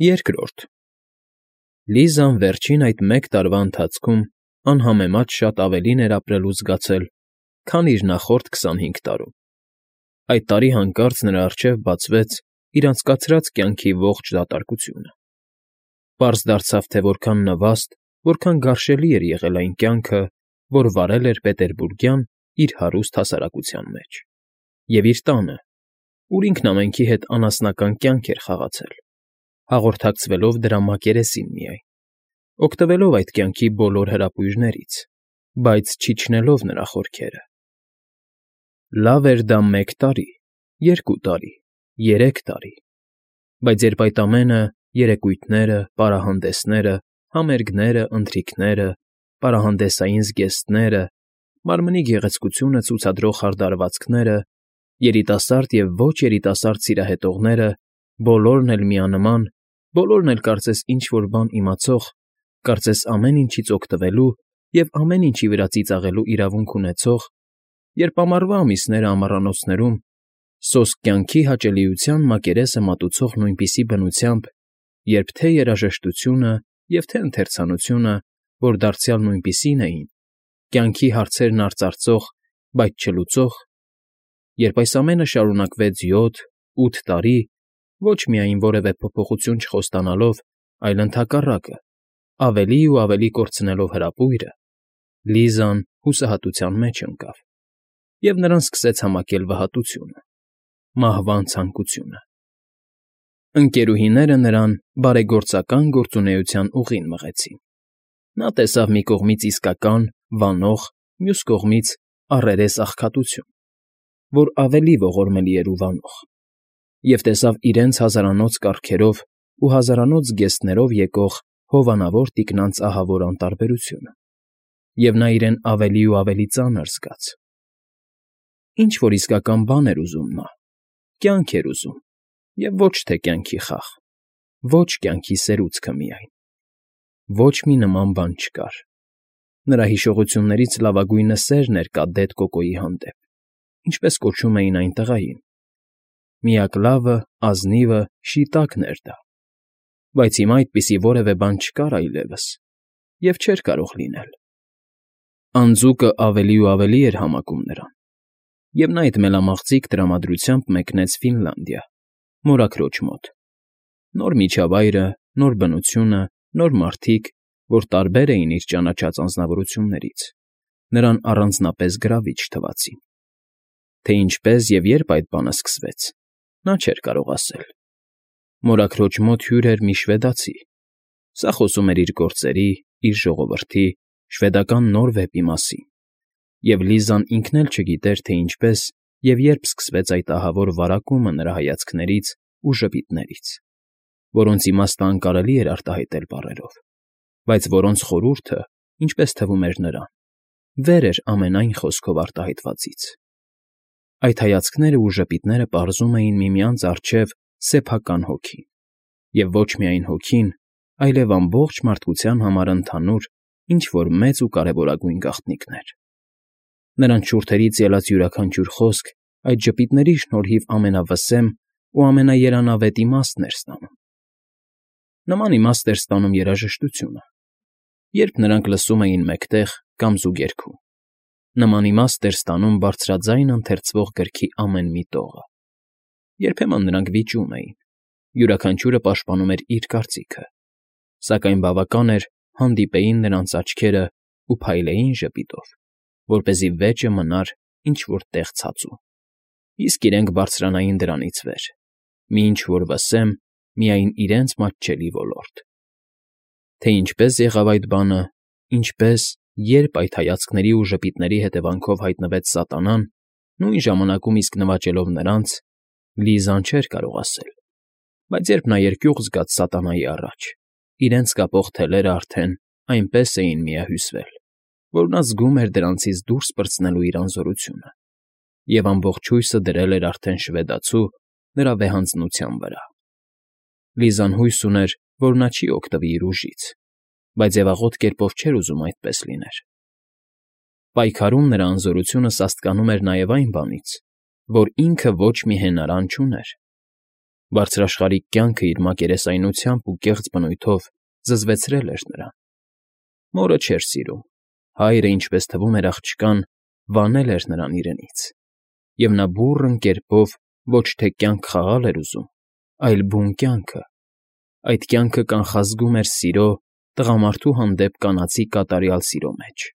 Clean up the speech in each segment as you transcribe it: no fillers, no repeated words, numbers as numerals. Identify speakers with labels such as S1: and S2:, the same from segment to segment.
S1: Երկրորդ Լիզան վերջին այդ մեկ տարվա ընթացքում անհամեմատ շատ ավելին էր ապրել ու զգացել, քան իր նախորդ 25 տարում. այդ տարի հանկարծ նրա առջև բացվեց իր անցկացրած կյանքի ողջ դատարկությունը. պարզ դարձավ, թե որքան նվաստ, որքան գարշելի էր եղել այն կյանքը, որ վարել էր պետերբուրգյան իր հարուստ հասարակության մեջ, և իր տանը, ուր ինքն ամենքի հետ անասնական կյանք էր խաղացել, հաղորդակցվելով դրա մակերեսին միայն, օգտվելով այդ կյանքի բոլոր հրապույրներից, բայց չիջնելով նրա խորքերը. լավ էր դա 1 տարի, 2 տարի, 3 տարի, բայց երբ այդ ամենը, երեկույթները, պարահանդեսները, համերգները, ընթրիքները, պարահանդեսային զգեստները, մարմնի գեղեցկությունը ցուցադրող հարդարվածքները, երիտասարդ և ոչ երիտասարդ սիրահետողները, բոլորն էլ միանման, բոլորն էլ կարծես ինչ֊որ բան իմացող, կարծես ամեն ինչից օգտվելու և ամեն ինչի վրա ծիծաղելու իրավունք ունեցող, երբ ամառվա ամիսները ամառանոցներում, սոսկ կյանքի հաճելիության մակերեսը մատուցող նույնպիսի բնությամբ, երբ թե երաժշտությունը և թե ընթերցանությունը, որ դարձյալ նույնպիսին էին, կյանքի հարցերն արծարծող, բայց չլուծող, երբ այս ամենը շարունակվեց 7-8 տարի, ոչ միայն որևէ փոփոխություն չխոստանալով, այլ ընդհակառակը, ավելի ու ավելի կորցնելով հրապույրը, Լիզան հուսահատության մեջ ընկավ, և նրան սկսեց համակել վհատությունը, մահվան ցանկությունը։ Ընկերուհիները նրան բարեգործական գործունեության ուղին մղեցին. նա տեսավ մի կողմից իսկական, վանող, մյուս կողմից առերես աղքատություն, որ ավելի ողորմելի էր ու վանող, և տեսավ իրենց հազարանոց կառքերով ու հազարանոց զգեստներով եկող հովանավոր տիկնանց ահավոր անտարբերությունը, և նա իրեն ավելի ու ավելի ծանր զգաց. ինչ֊որ իսկական բան էր ուզում նա, կյանք էր ուզում, և ոչ թե կյանքի խաղ, ոչ կյանքի սերուցքը միայն, ոչ մի նման բան չկար. նրա հիշողություններից լավագույնը սերն էր կադետ Կոկոյի հանդեպ, ինչպես կոչում էին այն տղային, միակ լավը, ազնիվը, շիտակն էր դա, բայց հիմա այդպիսի որևէ բան չկար այլևս և չէր կարող լինել. անձուկը ավելի ու ավելի էր համակում նրան, և նա այդ մելամաղձիկ տրամադրությամբ մեկնեց Ֆինլանդիա, մորաքրոջ մոտ, նոր միջավայրը, նոր բնությունը, նոր մարդիկ, որ տարբեր էին իր ճանաչած անձնավորություններից, նրան առանձնապես գրավիչ թվացին. թե ինչպես և երբ այդ բանը սկսվեց, նա չէր կարող ասել. մորաքրոջ մոտ հյուր էր մի շվեդացի, սա խոսում էր իր գործերի, իր ժողովրդի, շվեդական նոր վեպի մասին, և Լիզան ինքն էլ չգիտեր, թե ինչպես և երբ սկսվեց այդ ահավոր վարակումը նրա հայացքներից ու ժպիտներից, որոնց իմաստը անկարելի էր արտահայտել բառերով, բայց որոնց խորհուրդը, ինչպես թվում էր նրան, վեր էր ամենայն խոսքով արտահայտվածից. այդ հայացքները ու ժպիտները պարզում էին միմյանց առջև սեփական հոգին, և ոչ միայն հոգին, այլև ամբողջ մարդկության համար ընդհանուր ինչ֊որ մեծ ու կարևորագույն գաղտնիքներ. նրանց շուրթերից ելած յուրաքանչյուր խոսք այդ ժպիտների շնորհիվ ամենավսեմ ու ամենաերանավետ իմաստն էր ստանում. նման իմաստ էր ստանում երաժշտությունը, երբ նրանք լսում էին մեկտեղ կամ զուգերգում, նման իմաստ էր ստանում բարձրաձայն ընթերցվող գրքի ամեն մի տողը, երբեմն նրանք վիճում էին, յուրաքանչյուրը պաշտպանում էր իր կարծիքը, սակայն բավական էր հանդիպեին նրանց աչքերը ու փայլեին ժպիտով, որպեսզի վեճը մնար ինչ֊որ տեղ ցածում, իսկ իրենք բարձրանային դրանից վեր, մի ինչ֊որ վսեմ, միայն իրենց մատչելի ոլորտ։ Թե ինչպես եղավ այդ բանը, ինչպես, երբ այդ հայացքների ու ժպիտների հետևանքով հայտնվեց սատանան, նույն ժամանակում իսկ նվաճելով նրանց, Լիզան չէր կարող ասել, բայց երբ նա երկյուղ զգաց սատանայի առաջ, իրենց կապող թելերը արդեն այնպես էին միահյուսվել, որ նա զգում էր դրանցից դուրս պրծնելու իր անզորությունը, և ամբողջ հույսը դրել էր արդեն շվեդացու նրա վեհանձնության վրա։ Լիզան հույս ուներ, որ նա չի օգտվի իր ուժից, բայց ձևաղոտ կերպով չէր ուզում այդպես լիներ։ Պայքարում նրա անզորությունը սաստկանում էր նաև այն բանից, որ ինքը ոչ մի հենարան չուներ։ Բարձրաշխարհիկ կյանքը իր մակերեսայնությամբ ու կեղծ բնույթով զզվեցրել էր նրան։ Մորը չէր սիրում, հայրը, ինչպես թվում էր աղջկան, վանել էր նրան իրենից, և նա բուռն կերպով ոչ թե կյանք խաղալ էր ուզում, այլ բուն կյանքը, այդ կյանքը կանխազգում էր սիրո, տղամարդու հանդեպ կանացի կատարյալ սիրո մեջ,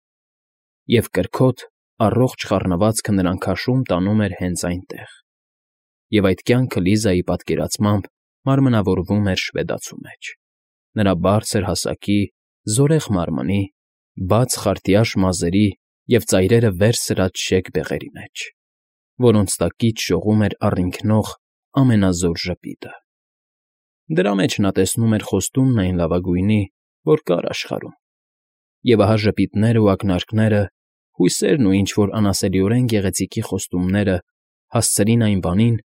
S1: և կրքոտ, առողջ խառնվածքը նրան քաշում տանում էր հենց այնտեղ, և այդ կյանքը Լիզայի պատկերացմամբ մարմնավորվում էր շվեդացու մեջ, նրա բարձր հասակի, զորեղ մարմնի, բաց խարտյաշ մազերի և ծայրերը վեր սրած շեկ բեղերի մեջ, որոնց տակից շողում էր առինքնող ամենազոր ժպիտը։ Դրա մեջ նա տեսնում էր խոստումն այն լավագույնի, որ կար աշխարհում, և ահա ժպիտներն ու ակնարկները, հույսերն ու ինչ֊որ անասելիորեն գեղեցիկի խոստումները հասցրին այն բանին,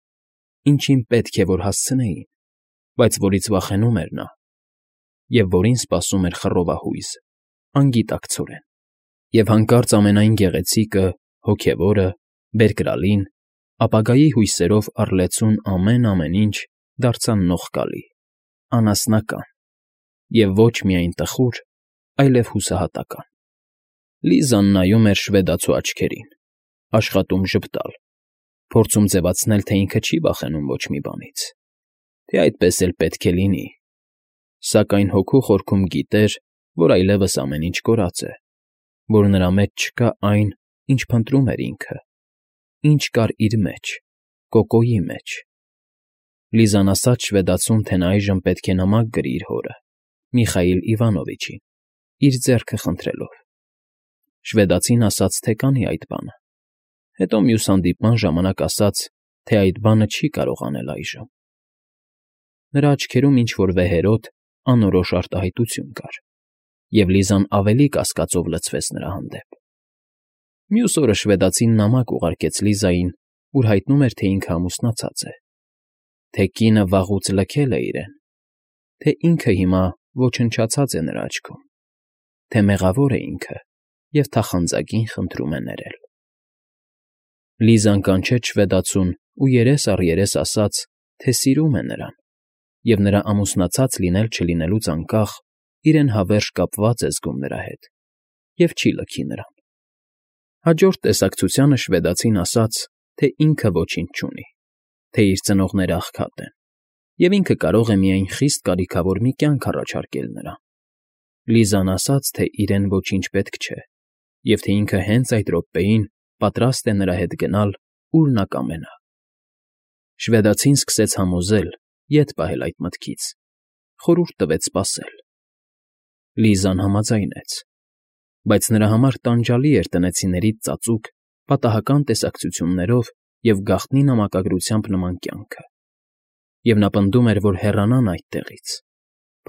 S1: ինչին պետք է որ հասցնեին, բայց որից վախենում էր նա, և որին սպասում էր խռովահույզ, անգիտակցորեն, և հանկարծ ամենայն գեղեցիկը, հոգևորը, բերկրալին, ապագայի հույսերով առլեցուն ամեն ինչ դարձան նողկալի, անասնական և ոչ միայն տխուր, այլև հուսահատական։ Լիզան նայում էր շվեդացու աչքերին, աշխատում ժպտալ, փորձում ձևացնել, թե ինքը չի վախենում ոչ մի բանից, թե այդպես էլ պետք է լինի, սակայն հոգու խորքում գիտեր, որ այլևս ամեն ինչ կորած է, որ նրա մեջ չկա այն, ինչ փնտրում էր ինքը, ինչ կար իր մեջ, Կոկոյի մեջ։ Լիզան ասաց շվեդացուն, թե նա այժմ պետք է նամակ գրի իր հորը, Միխայիլ Իվանովիչին, իր ձեռքը խնդրելով։ Շվեդացին ասաց, թե կանի այդ բանը, հետո մյուս հանդիպման ժամանակ ասաց, թե այդ բանը չի կարող անել այժմ։ Նրա աչքերում ինչ֊որ վեհերոտ, անորոշ արտահայտություն կար, և Լիզան ավելի կասկածով լցվեց նրա հանդեպ։ Մյուս օրը շվեդացին նամակ ուղարկեց Լիզային, ուր հայտնում էր, թե ինքը ամուսնացած է, թե կինը վաղուց լքել է իրեն, թե ինքը հիմա ոչնչացած է նրա աչքում, թե մեղավոր է ինքը և թախանձագին խնդրում է ներել։ Լիզան կանչեց շվեդացուն ու երես առ երես ասաց, թե սիրում է նրան, և նրա ամուսնացած լինել֊չլինելուց անկախ իրեն հավերժ կապված է զգում նրա հետ և չի լքի նրան։ Հաջորդ տեսակցությանը շվեդացին ասաց, թե ինքը ոչինչ չունի, թե իր ծնողները աղքատ են, և ինքը կարող է միայն խիստ կարիքավոր մի կյանք առաջարկել նրան։ Լիզան ասաց, թե իրեն ոչինչ պետք չէ, և թե ինքը հենց այդ րոպեին պատրաստ է նրա հետ գնալ, ուր նա կամենա։ Շվեդացին սկսեց համոզել, ետ պահել այդ մտքից, խորհուրդ տվեց սպասել։ Լիզան համաձայնեց, բայց նրա համար տանջալի էր տնեցիներից ծածուկ, պատահական տեսակցություններով և գաղտնի նամակագրությամբ նման կյանքը, և նա պնդում էր, որ հեռանան այդտեղից,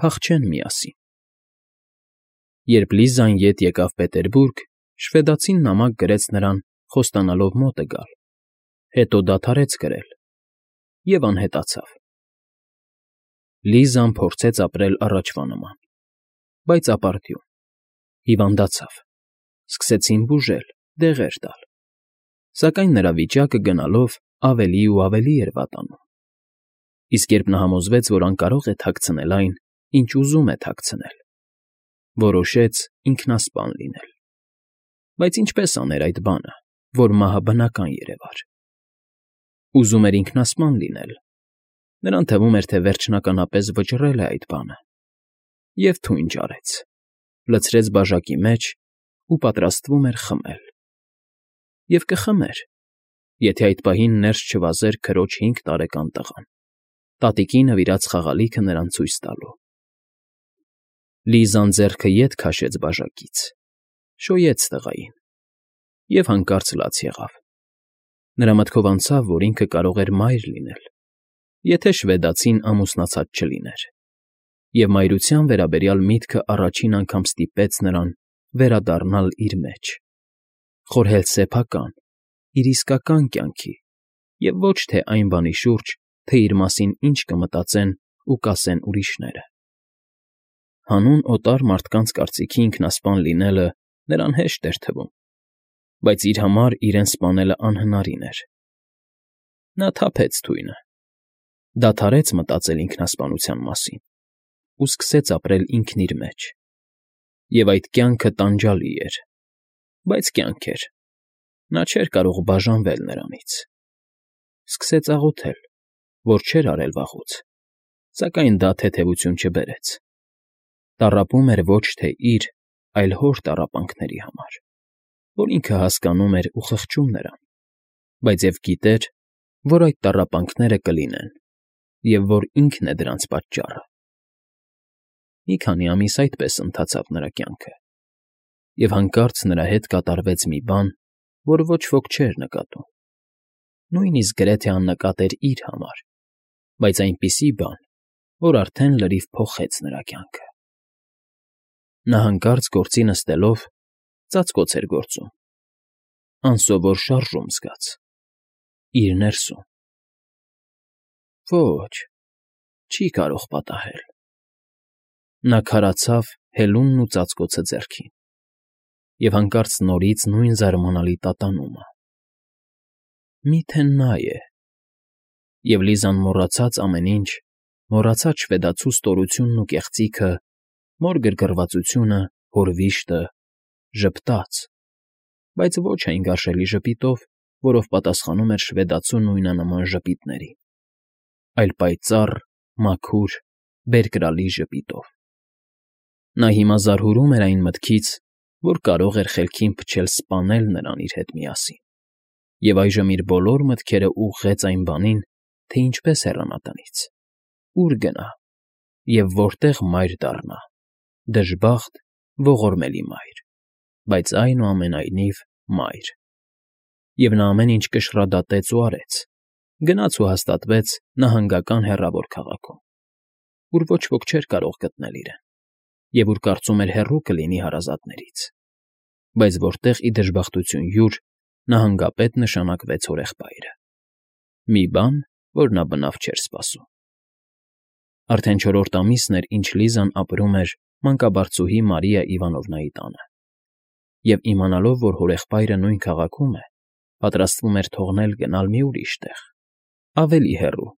S1: փախչեն միասին։ Երբ Լիզան ետ եկավ Պետերբուրգ, շվեդացին նամակ գրեց նրան, խոստանալով մոտը գալ, հետո դադարեց գրել և անհետացավ։ Լիզան փորձեց ապրել առաջվա նման, բայց ապարդյուն, հիվանդացավ, սկսեցին բուժել, դեղեր տալ, սակայն նրա վիճակը գնալով ավելի ու ավելի էր վատանում, իսկ երբ նա համոզվեց, որ անկարող է թաքցնել այն, ինչ ուզում է թաքցնել, որոշեց ինքնասպան լինել։ Բայց ինչպես աներ այդ բանը, որ մահը բնական երևար։ Ուզում էր ինքնասպան լինել, նրան թվում էր, թե վերջնականապես վճռել է այդ բանը, և թույն ճարեց, լցրեց բաժակի մեջ ու պատրաստվում էր խմել։ Եվ կխմեր, եթե այդ պահին ներս չվազեր քրոջ 5 տարեկան տղան, տատիկի նվիրած խաղալիքը նրան ցույց տալու։ Լիզան ձեռքը ետ քաշեց բաժակից, շոյեց տղային և հանկարծ լաց եղավ։ Նրա մտքով անցավ, որ ինքը կարող էր մայր լինել, եթե շվեդացին ամուսնացած չլիներ, և մայրության վերաբերյալ միտքը առաջին անգամ ստիպեց նրան վերադառնալ իր մեջ, խորհել սեփական, իր իսկական կյանքի և ոչ թե այն բանի շուրջ, թե իր մասին ինչ կմտածեն ու կասեն ուրիշները։ Հանուն օտար մարդկանց կարծիքի ինքնասպան լինելը նրան հեշտ էր թվում, բայց իր համար իրեն սպանելը անհնարին էր։ Նա թափեց թույնը, Դադարեց մտածել ինքնասպանության մասին ու սկսեց ապրել ինքն իր մեջ։ Եվ այդ կյանքը տանջալի էր, բայց կյանք էր, նա չէր կարող բաժանվել նրանից։ Սկսեց աղոթել, որ չէր արել վաղուց, սակայն դա թեթևություն չբերեց։ Տառապում էր ոչ թե իր, այլ հոր տառապանքների համար, որ ինքը հասկանում էր ու խղճում նրան, բայց և գիտեր, որ այդ տառապանքները կլինեն և որ ինքն է դրանց պատճառը։ Մի քանի ամիս այդպես ընթացավ նրա կյանքը, և հանկարծ նրա հետ կատարվեց մի բան, որ ոչ ոք չէր նկատում, նույնիսկ գրեթե աննկատ էր իր համար, բայց այնպիսի բան, որ արդեն լրիվ փոխեց նրա կյանքը։ Նա հանկարծ գործի նստելով ծածկոց էր գործում, անսովոր շարժում զգաց իր ներսում։ Ոչ, չի կարող պատահել։ Նա քարացավ հելունն ու ծածկոցը ձեռքին, և հանկարծ նորից նույն զարմանալի տատանումը։ Մի՞թե նա է։ Եվ Լիզան մոռացած ամեն ինչ, մոռացած շվեդացու ստորությունն ու կեղծիքը, մոր գրգռվածությունը, հոր վիշտը, ժպտաց, բայց ոչ այն գարշելի ժպիտով, որով պատասխանում էր շվեդացու նույնանման ժպիտների, այլ պայծառ, մաքուր, բերկրալի ժպիտով։ Նա հիմա զարհուրում էր այն մտքից, որ կարող էր խելքին փչել սպանել նրան իր հետ միասին, և այժմ իր բոլոր մտքերը ուղղեց այն բանին, թե ինչպես հեռանա տնից, ուր գնա և որտեղ մայր դառնա, դժբախտ, ողորմելի մայր, բայց այնուամենայնիվ մայր։ Եվ նա ամեն ինչ կշռադատեց ու արեց, գնաց ու հաստատվեց նահանգական հեռավոր քաղաքում, ուր ոչ ոք չէր կարող գտնել իրեն, և ուր կարծում էր հեռու կլինի հարազատներից, բայց որտեղ, ի դժբախտություն յուր, նահանգապետ նշանակվեց հորեղբայրը։ Մի բան, որ նա բնավ չէր սպասում։ Արդեն 4-րդ ամիսն էր, ինչ Լիզան ապրում էր մանկաբարձուհի Մարիա Իվանովնայի տանը, և իմանալով, որ հորեղբայրը նույն քաղաքում է, պատրաստվում էր թողնել գնալ մի ուրիշ տեղ, ավելի հեռու,